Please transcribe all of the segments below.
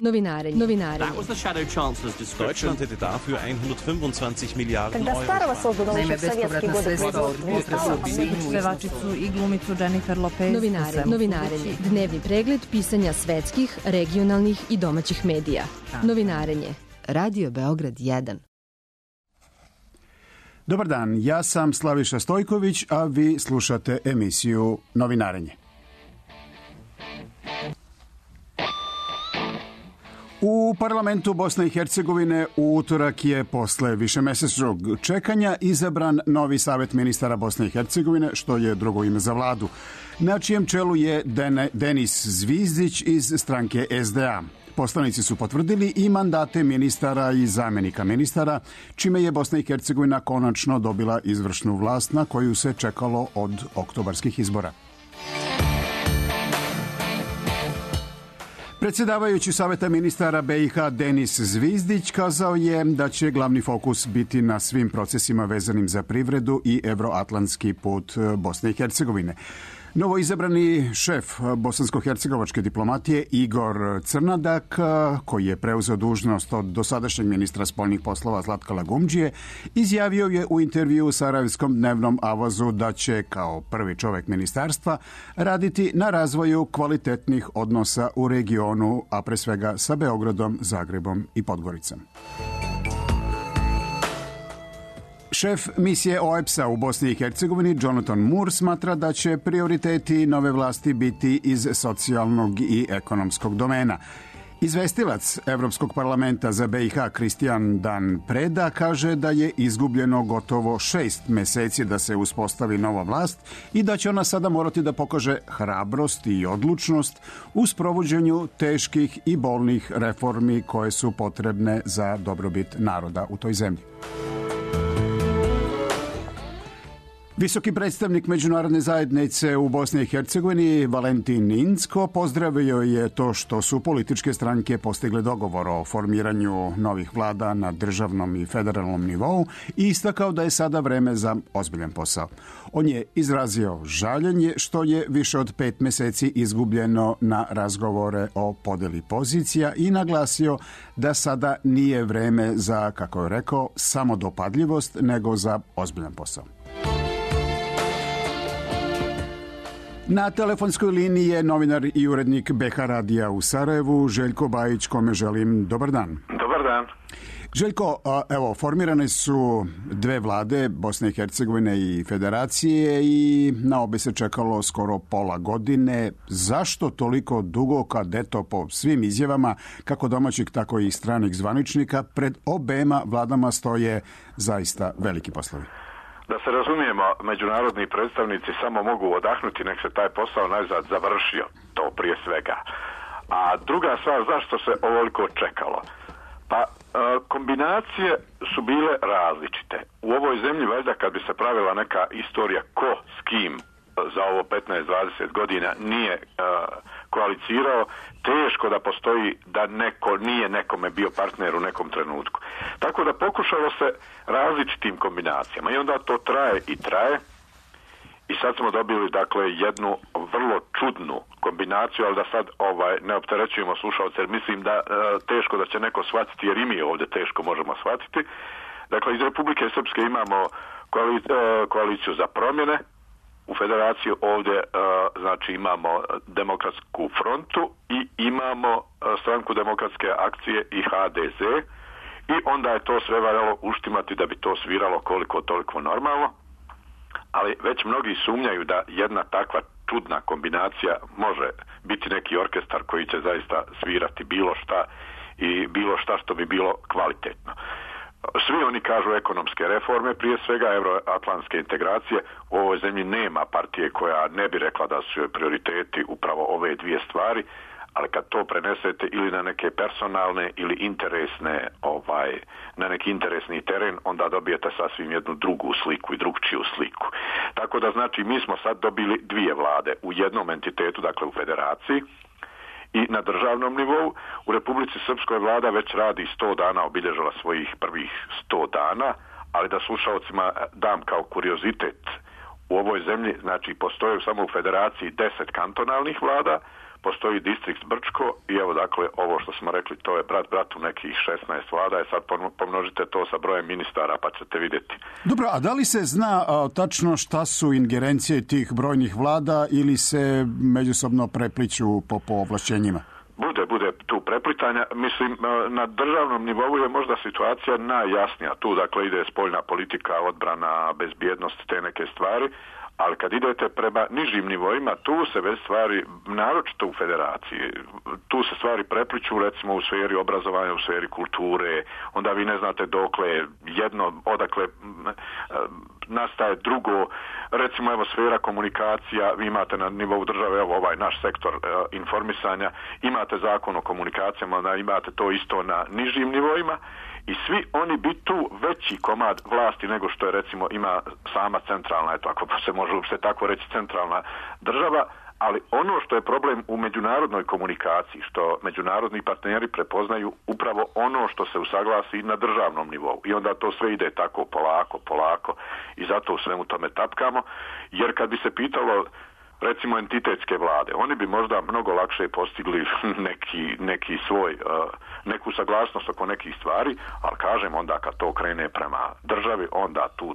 Novinarenje. That was the Shadow Chancellor's description. Deutschland hätte dafür 125 Milijarden Euro. Naime, bespovratna sredstva od pevačicu i glumicu Jennifer Lopez. Novinarenje. Dnevni pregled pisanja svetskih, regionalnih i domaćih medija. Novinarenje. Radio Beograd 1. Dobar dan, ja sam Slaviša Stojković, a vi slušate emisiju Novinarenje. U parlamentu Bosne i Hercegovine u utorak je posle višemesečnog čekanja izabran novi savet ministara Bosne i Hercegovine, što je drugo ime za vladu, na čijem čelu je Denis Zvizdić iz stranke SDA. Poslanici su potvrdili i mandate ministara i zamenika ministara, čime je Bosna i Hercegovina konačno dobila izvršnu vlast na koju se čekalo od oktobarskih izbora. Predsjedavajući Saveta ministara BiH Denis Zvizdić kazao je da će glavni fokus biti na svim procesima vezanim za privredu i evroatlantski put Bosne i Hercegovine. Novoizabrani šef bosansko-hercegovačke diplomatije Igor Crnadak, koji je preuzeo dužnost od dosadašnjeg ministra spoljnih poslova Zlatka Lagumdžije, izjavio je u intervju u Sarajevskom dnevnom Avazu da će kao prvi čovjek ministarstva raditi na razvoju kvalitetnih odnosa u regionu, a pre svega sa Beogradom, Zagrebom i Podgoricom. Šef misije OEBS-a u Bosni i Hercegovini Jonathan Moore smatra da će prioriteti nove vlasti biti iz socijalnog i ekonomskog domena. Izvestilac Evropskog parlamenta za BiH Kristijan Dan Preda kaže da je izgubljeno gotovo 6 meseci da se uspostavi nova vlast i da će ona sada morati da pokaže hrabrost i odlučnost u sprovođenju teških i bolnih reformi koje su potrebne za dobrobit naroda u toj zemlji. Visoki predstavnik međunarodne zajednice u Bosni i Hercegovini Valentin Incko pozdravio je to što su političke stranke postigle dogovor o formiranju novih vlada na državnom i federalnom nivou i istakao da je sada vreme za ozbiljan posao. On je izrazio žaljenje što je više od 5 meseci izgubljeno na razgovore o podeli pozicija i naglasio da sada nije vreme za, kako je rekao, samodopadljivost, nego za ozbiljan posao. Na telefonskoj liniji je novinar i urednik BH Radija u Sarajevu, Željko Bajić, kome želim dobar dan. Dobar dan. Željko, evo, formirane su dve vlade, Bosne i Hercegovine i Federacije, i na obe se čekalo skoro pola godine. Zašto toliko dugo, kad eto po svim izjavama, kako domaćih, tako i stranih zvaničnika, pred obema vladama stoje zaista veliki poslovi? Da se razumijemo, međunarodni predstavnici samo mogu odahnuti nek se taj posao najzad završio, to prije svega. A druga stvar, zašto se ovoliko čekalo? Pa kombinacije su bile različite. U ovoj zemlji, valjda, kad bi se pravila neka istorija ko s kim za ovo 15-20 godina nije koalicirao, teško da postoji da neko nije nekome bio partner u nekom trenutku. Tako da pokušalo se različitim kombinacijama i onda to traje i traje i sad smo dobili, dakle, jednu vrlo čudnu kombinaciju, ali da sad ne opterećujemo slušalce, jer mislim da teško da će neko shvatiti, jer i mi ovdje teško možemo shvatiti. Dakle, iz Republike Srpske imamo koaliciju za promjene. U Federaciji ovdje znači imamo Demokratsku frontu i imamo Stranku demokratske akcije i HDZ i onda je to sve valjalo uštimati da bi to sviralo koliko toliko normalno, ali već mnogi sumnjaju da jedna takva čudna kombinacija može biti neki orkestar koji će zaista svirati bilo šta i bilo šta što bi bilo kvalitetno. Svi oni kažu ekonomske reforme, prije svega euroatlantske integracije. U ovoj zemlji nema partije koja ne bi rekla da su joj prioriteti upravo ove dvije stvari, ali kad to prenesete ili na neke personalne ili interesne, na neki interesni teren, onda dobijete sasvim jednu drugu sliku i drugčiju sliku. Tako da znači mi smo sad dobili dvije vlade u jednom entitetu, dakle u Federaciji, i na državnom nivou. U Republici Srpskoj vlada već radi 100 dana, obilježila svojih prvih 100 dana, ali da slušalcima dam kao kuriozitet, u ovoj zemlji, znači, postoje samo u Federaciji 10 kantonalnih vlada, postoji distrikt Brčko i evo dakle ovo što smo rekli, to je brat bratu nekih 16 vlada, sad pomnožite to sa brojem ministara pa ćete vidjeti. Dobro, a da li se zna tačno šta su ingerencije tih brojnih vlada ili se međusobno prepliću po ovlašćenjima? Bude tu preplitanja. Mislim, na državnom nivou je možda situacija najjasnija. Tu dakle ide spoljna politika, odbrana, bezbjednost, te neke stvari. Ali kad idete prema nižim nivoima, tu se već stvari, naročito u federaciji, tu se stvari prepliću, recimo u sferi obrazovanja, u sferi kulture, onda vi ne znate dokle jedno, odakle nastaje drugo, recimo evo sfera komunikacija, vi imate na nivou države, evo ovaj naš sektor informisanja, imate zakon o komunikacijama, onda imate to isto na nižim nivoima. I svi oni bi tu veći komad vlasti nego što je recimo ima sama centralna, eto ako se može uopšte tako reći centralna država, ali ono što je problem u međunarodnoj komunikaciji, što međunarodni partneri prepoznaju upravo ono što se usaglasi na državnom nivou i onda to sve ide tako polako i zato u svemu tome tapkamo, jer kad bi se pitalo recimo entitetske vlade, oni bi možda mnogo lakše postigli neki svoj, neku saglasnost oko nekih stvari, ali kažem onda kad to krene prema državi, onda tu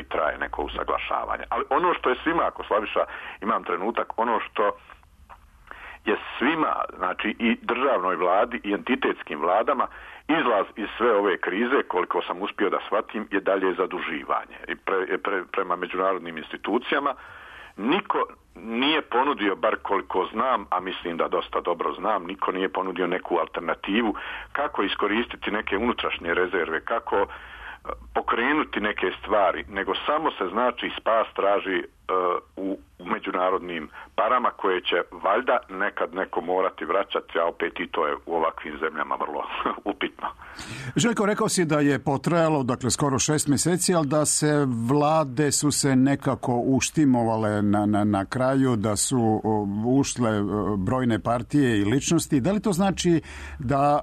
traje neko usaglašavanje. Ali ono što je svima, ako Slaviša imam trenutak, ono što je svima, znači i državnoj vladi i entitetskim vladama, izlaz iz sve ove krize, koliko sam uspio da shvatim, je dalje zaduživanje. I prema međunarodnim institucijama niko nije ponudio, bar koliko znam, a mislim da dosta dobro znam, niko nije ponudio neku alternativu kako iskoristiti neke unutrašnje rezerve, kako pokrenuti neke stvari, nego samo se znači spas traži u međunarodnim parama koje će valjda nekad neko morati vraćati, a opet i to je u ovakvim zemljama vrlo upitno. Željko, rekao si da je potrajalo, dakle, skoro 6 mjeseci, ali da se vlade su se nekako uštimovale na kraju, da su ušle brojne partije i ličnosti. Da li to znači da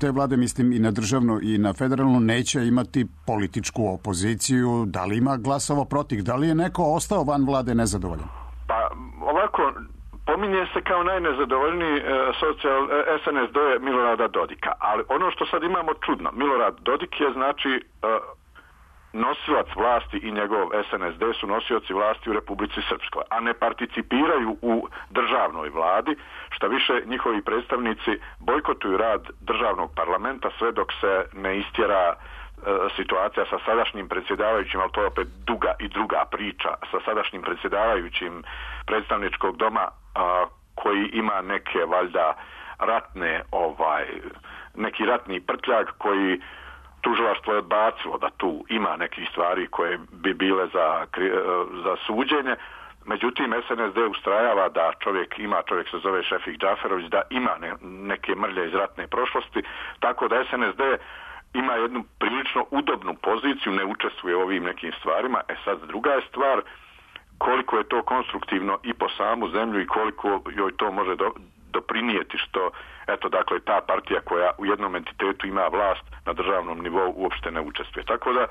te vlade, mislim i na državnu i na federalnu, neće imati političku opoziciju? Da li ima glasova protiv? Da li je neko ostao van vlade nezadovoljan? Pa ovako, pominje se kao najnezadovoljniji SNSD Milorada Dodika, ali ono što sad imamo čudno, Milorad Dodik je znači nosilac vlasti i njegov SNSD su nosioci vlasti u Republici Srpskoj, a ne participiraju u državnoj vladi, šta više njihovi predstavnici bojkotuju rad državnog parlamenta sve dok se ne istjera situacija sa sadašnjim predsjedavajućim, ali to je opet druga priča, sa sadašnjim predsjedavajućim predstavničkog doma koji ima neke valjda neki ratni prtljag koji tužilaštvo je odbacilo da tu ima nekih stvari koje bi bile za suđenje. Međutim, SNSD ustrajava da čovjek se zove Šefik Džaferović, da ima neke mrlje iz ratne prošlosti, tako da SNSD ima jednu prilično udobnu poziciju, ne učestvuje u ovim nekim stvarima. Sad druga je stvar koliko je to konstruktivno i po samu zemlju i koliko joj to može doprinijeti što, eto, dakle, ta partija koja u jednom entitetu ima vlast na državnom nivou uopšte ne učestvuje. Tako da,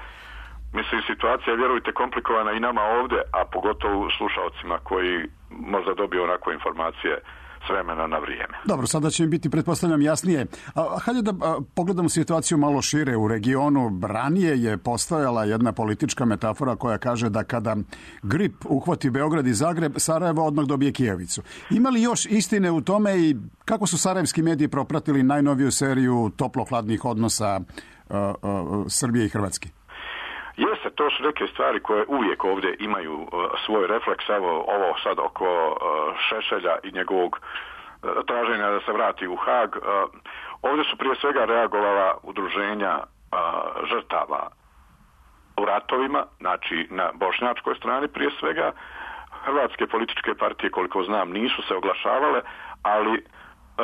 mislim, situacija je, vjerujte, komplikovana i nama ovdje, a pogotovo slušalcima koji možda dobiju onako informacije s vremena na vrijeme. Dobro, sada će mi biti, pretpostavljam, jasnije. Hajde da pogledamo situaciju malo šire u regionu. Ranije je postojala jedna politička metafora koja kaže da kada grip uhvati Beograd i Zagreb, Sarajevo odmah dobije Kijevicu. Ima li još istine u tome i kako su sarajevski mediji propratili najnoviju seriju toplo-hladnih odnosa Srbije i Hrvatske? Jeste, to su neke stvari koje uvijek ovdje imaju svoj refleks. Evo, ovo sad oko Šešelja i njegovog traženja da se vrati u Hag. Ovdje su prije svega reagovala udruženja žrtava u ratovima, znači na bošnjačkoj strani prije svega. Hrvatske političke partije, koliko znam, nisu se oglašavale, ali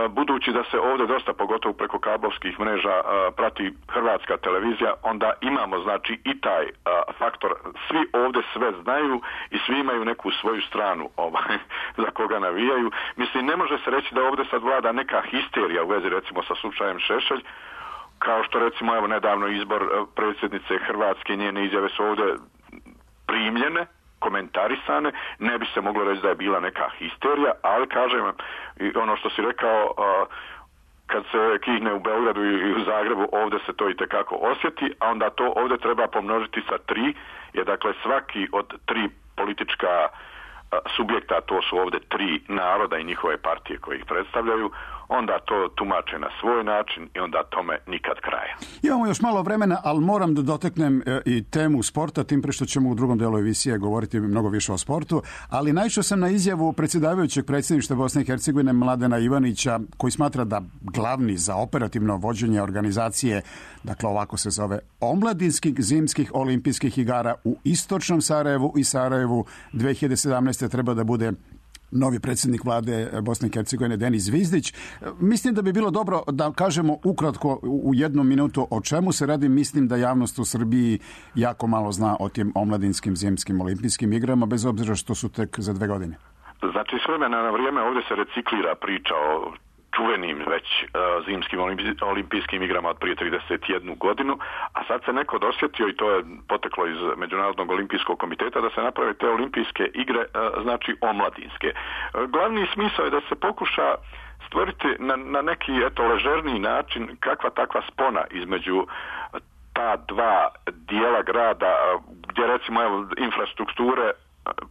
budući da se ovdje dosta, pogotovo preko kablovskih mreža, prati hrvatska televizija, onda imamo znači i taj faktor, svi ovdje sve znaju i svi imaju neku svoju stranu za koga navijaju. Mislim, ne može se reći da ovdje sad vlada neka histerija u vezi recimo sa slučajem Šešelj, kao što recimo evo nedavno izbor predsjednice Hrvatske, njene izjave su ovdje primljene komentarisane, ne bi se moglo reći da je bila neka histerija, ali kažem vam, ono što si rekao, kad se kihne u Beogradu i u Zagrebu, ovdje se to i tekako osjeti, a onda to ovdje treba pomnožiti sa 3, jer dakle svaki od 3 politička subjekta, to su ovdje 3 naroda i njihove partije koje ih predstavljaju, onda to tumače na svoj način i onda tome nikad kraja. Imamo još malo vremena, ali moram da doteknem i temu sporta, tim pre što ćemo u drugom delu emisije govoriti mnogo više o sportu, ali naišao sam na izjavu predsjedavajućeg predsjedništva Bosne i Hercegovine Mladena Ivanića, koji smatra da glavni za operativno vođenje organizacije, dakle ovako se zove, omladinskih zimskih olimpijskih igara u istočnom Sarajevu i Sarajevu 2017. treba da bude novi predsjednik vlade Bosne i Hercegovine Denis Zvizdić. Mislim da bi bilo dobro da kažemo ukratko u 1 minutu o čemu se radi. Mislim da javnost u Srbiji jako malo zna o tim omladinskim zimskim olimpijskim igrama, bez obzira što su tek za 2 godine. Znači, s vremena na vrijeme ovdje se reciklira priča o čuvenim već zimskim olimpijskim igrama od prije 31 godinu, a sad se neko dosjetio, i to je poteklo iz Međunarodnog olimpijskog komiteta, da se naprave te olimpijske igre, znači omladinske. Glavni smisao je da se pokuša stvoriti na neki ležerniji način kakva takva spona između ta 2 dijela grada, gdje recimo infrastrukture,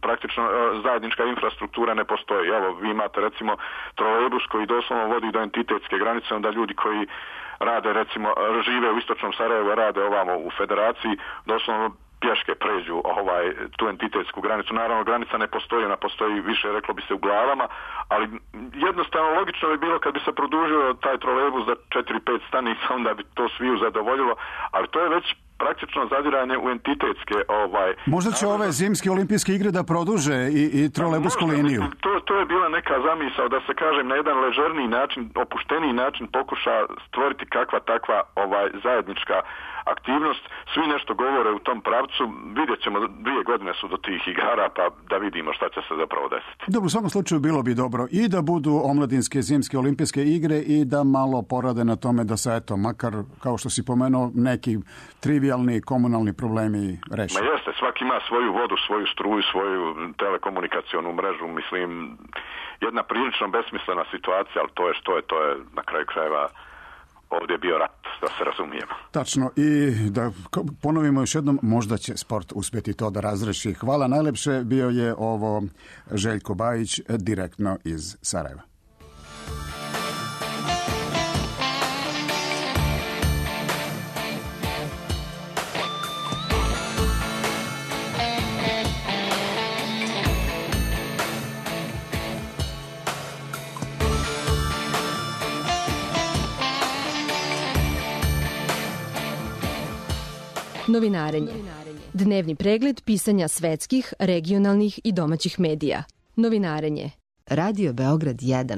praktično zajednička infrastruktura ne postoji. Evo, vi imate recimo trolejbus koji doslovno vodi do entitetske granice, onda ljudi koji rade, recimo, žive u istočnom Sarajevu, rade ovamo u Federaciji, doslovno pješke pređu tu entitetsku granicu. Naravno, granica ne postoji, ona postoji više, reklo bi se, u glavama, ali jednostavno logično bi bilo kad bi se produžio taj trolejbus za 4-5 stanica, onda bi to sviju zadovoljilo, ali to je već praktično zadiranje u entitetske... Možda će ove zimske olimpijske igre da produže i trolejbusku liniju. To je bila neka zamisao da se, kažem, na jedan ležerniji način, opušteniji način pokuša stvoriti kakva takva zajednička aktivnost. Svi nešto govore u tom pravcu. Vidjet ćemo, 2 godine su do tih igara, pa da vidimo šta će se zapravo desiti. Dobro, u svakom slučaju bilo bi dobro i da budu omladinske zimske olimpijske igre i da malo porade na tome da se, eto, makar, kao što si pomenuo, neki trivialni komunalni problemi reši. Ma jeste, svaki ima svoju vodu, svoju struju, svoju telekomunikacionu mrežu, mislim, jedna prilično besmislena situacija, ali to je što je, to je na kraju krajeva ovdje bio rat, da se razumijemo. Tačno, i da ponovimo još jednom, možda će sport uspjeti to da razreši. Hvala najlepše, bio je ovo Željko Bajić, direktno iz Sarajeva. Novinarenje. Dnevni pregled pisanja svetskih, regionalnih i domaćih medija. Novinarenje. Radio Beograd 1.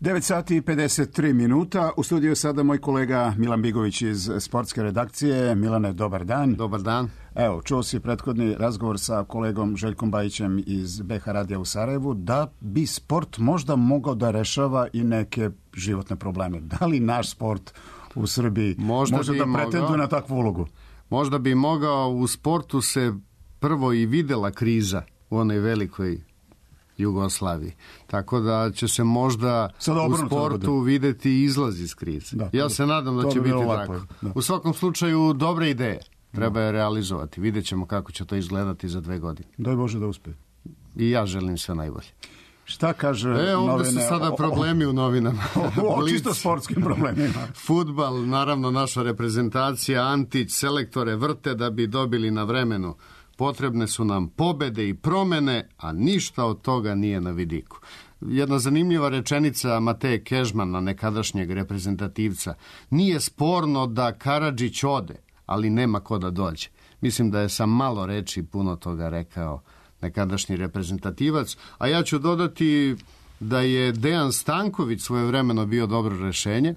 9 sati i 53 minuta. U studiju sada moj kolega Milan Bigović iz sportske redakcije. Milane, dobar dan. Dobar dan. Evo, čuo si prethodni razgovor sa kolegom Željkom Bajićem iz BH Radija u Sarajevu, da bi sport možda mogao da rešava i neke životne probleme. Da li naš sport u Srbiji može da pretenduje na takvu ulogu? Možda bi mogao. U sportu se prvo i videla kriza u onoj velikoj Jugoslaviji. Tako da će se možda u sportu vidjeti izlaz iz krize. Da, ja se nadam da će biti tako. Da. U svakom slučaju, dobre ideje treba je realizovati. Vidjet ćemo kako će to izgledati za 2 godine. Daj Bože da uspe. I ja želim sve najbolje. Šta kaže novine? Ovdje su sada problemi u novinama. O čisto sportskim problemima. Fudbal, naravno naša reprezentacija, Antić, selektore vrte da bi dobili na vremenu. Potrebne su nam pobede i promene, a ništa od toga nije na vidiku. Jedna zanimljiva rečenica Mateje Kežmana, nekadašnjeg reprezentativca. Nije sporno da Karadžić ode, ali nema ko da dođe. Mislim da je sa malo reči puno toga rekao nekadašnji reprezentativac, a ja ću dodati da je Dejan Stanković svojevremeno bio dobro rešenje.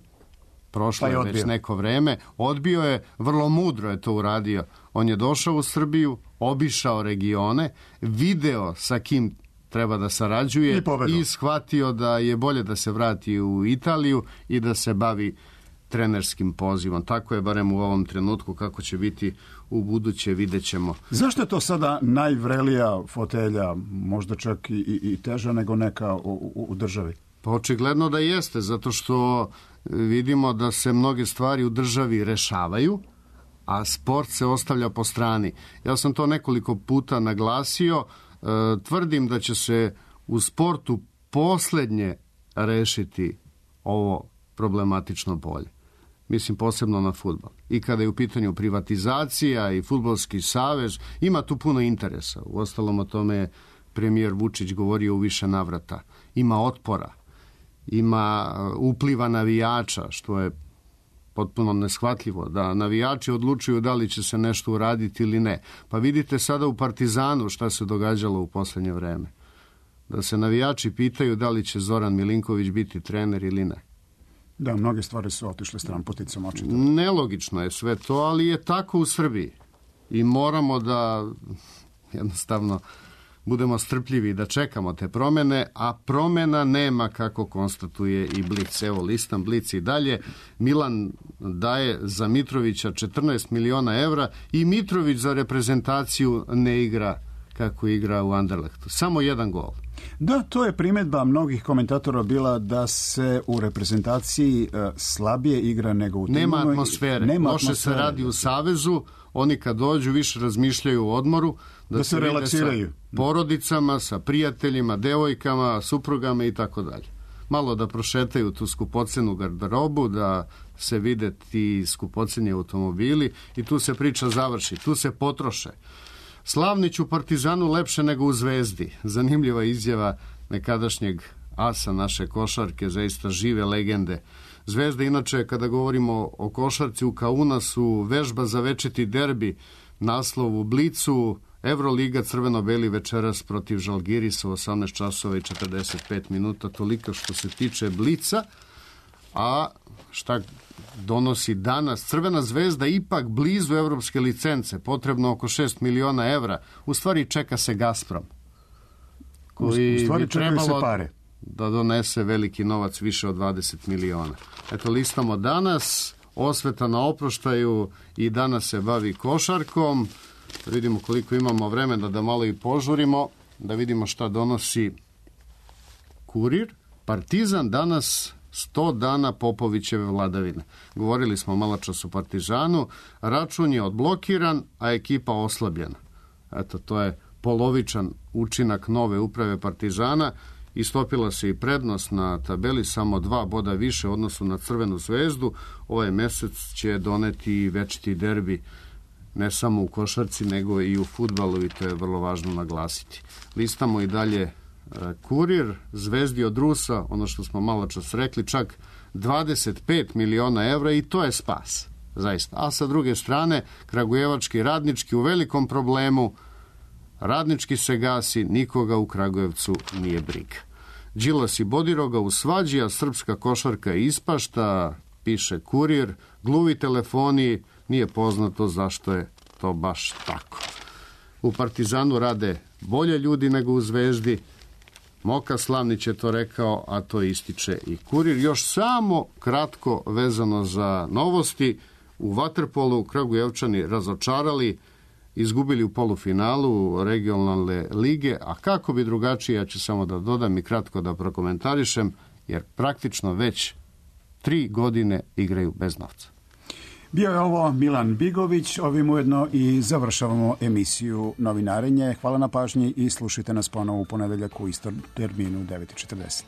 Prošlo je već neko vreme. Odbio je, vrlo mudro je to uradio. On je došao u Srbiju, obišao regione, video sa kim treba da sarađuje i shvatio da je bolje da se vrati u Italiju i da se bavi trenerskim pozivom. Tako je barem u ovom trenutku, kako će biti u buduće, vidjet ćemo. Zašto je to sada najvrelija fotelja, možda čak i teža nego neka u državi? Pa očigledno da jeste, zato što vidimo da se mnoge stvari u državi rešavaju, a sport se ostavlja po strani. Ja sam to nekoliko puta naglasio, tvrdim da će se u sportu poslednje rešiti ovo problematično polje. Mislim posebno na fudbal. I kada je u pitanju privatizacija i fudbalski savez, ima tu puno interesa. Uostalom o tome je premijer Vučić govorio u više navrata. Ima otpora, ima upliva navijača, što je potpuno neshvatljivo, da navijači odlučuju da li će se nešto uraditi ili ne. Pa vidite sada u Partizanu šta se događalo u poslednje vreme. Da se navijači pitaju da li će Zoran Milinković biti trener ili ne. Da, mnoge stvari su otišle stramputicom očito. Nelogično je sve to, ali je tako u Srbiji. I moramo da jednostavno budemo strpljivi da čekamo te promene, a promena nema, kako konstatuje i Blic. Evo, listam Blic i dalje. Milan daje za Mitrovića 14 miliona evra i Mitrović za reprezentaciju ne igra kako igra u Anderlechtu. Samo jedan gol. Da, to je primjedba mnogih komentatora bila da se u reprezentaciji slabije igra nego u timu. Nema atmosfere. Loše se radi u savezu. Oni kad dođu više razmišljaju o odmoru. Da se relaksiraju. Sa porodicama, sa prijateljima, devojkama, suprugama i tako dalje. Malo da prošetaju tu skupocenu garderobu, da se vide ti skupoceni automobili i tu se priča završi. Tu se potroše. Slavnić u Partizanu lepše nego u Zvezdi. Zanimljiva izjava nekadašnjeg asa naše košarke, zaista žive legende. Zvezda, inače, kada govorimo o košarci u Kaunasu, vežba za večiti derbi, naslov u Blicu, Euroliga crveno-beli večeras protiv Žalgirisa u 18 časova i 45 minuta, toliko što se tiče Blica. A šta donosi danas? Crvena zvezda ipak blizu evropske licence, potrebno oko 6 miliona evra. U stvari čeka se Gazprom, koji bi trebalo da donese veliki novac, više od 20 miliona. Eto, listamo danas, osveta na oproštaju i danas se bavi košarkom. Da vidimo koliko imamo vremena da malo i požurimo, da vidimo šta donosi Kurir. Partizan danas 100 dana Popovićeve vladavine. Govorili smo malo čas o Partizanu, račun je odblokiran, a ekipa oslabljena. Eto, to je polovičan učinak nove uprave Partizana. Istopila se i prednost na tabeli, samo 2 boda više u odnosu na Crvenu zvezdu. Ovaj mesec će doneti i večiti derbi, ne samo u košarci, nego i u fudbalu, i to je vrlo važno naglasiti. Listamo i dalje Kurir, Zvezdi od Rusa, ono što smo malo čas rekli, čak 25 miliona evra, i to je spas, zaista. A sa druge strane, kragujevački Radnički u velikom problemu, Radnički se gasi, nikoga u Kragujevcu nije briga. Đilas i Bodiroga u svađi, a srpska košarka je ispašta, piše Kurir, gluvi telefoni, nije poznato zašto je to baš tako. U Partizanu rade bolje ljudi nego u Zvezdi. Moka Slavnić je to rekao, a to ističe i Kurir. Još samo kratko vezano za novosti. U vaterpolu Kragujevčani razočarali, izgubili u polufinalu regionalne lige, a kako bi drugačije, ja ću samo da dodam i kratko da prokomentarišem, jer praktično već 3 godine igraju bez novca. Bio je ovo Milan Bigović, ovim ujedno i završavamo emisiju Novinarenje. Hvala na pažnji i slušajte nas ponovo u ponedeljak u istom terminu 9:40.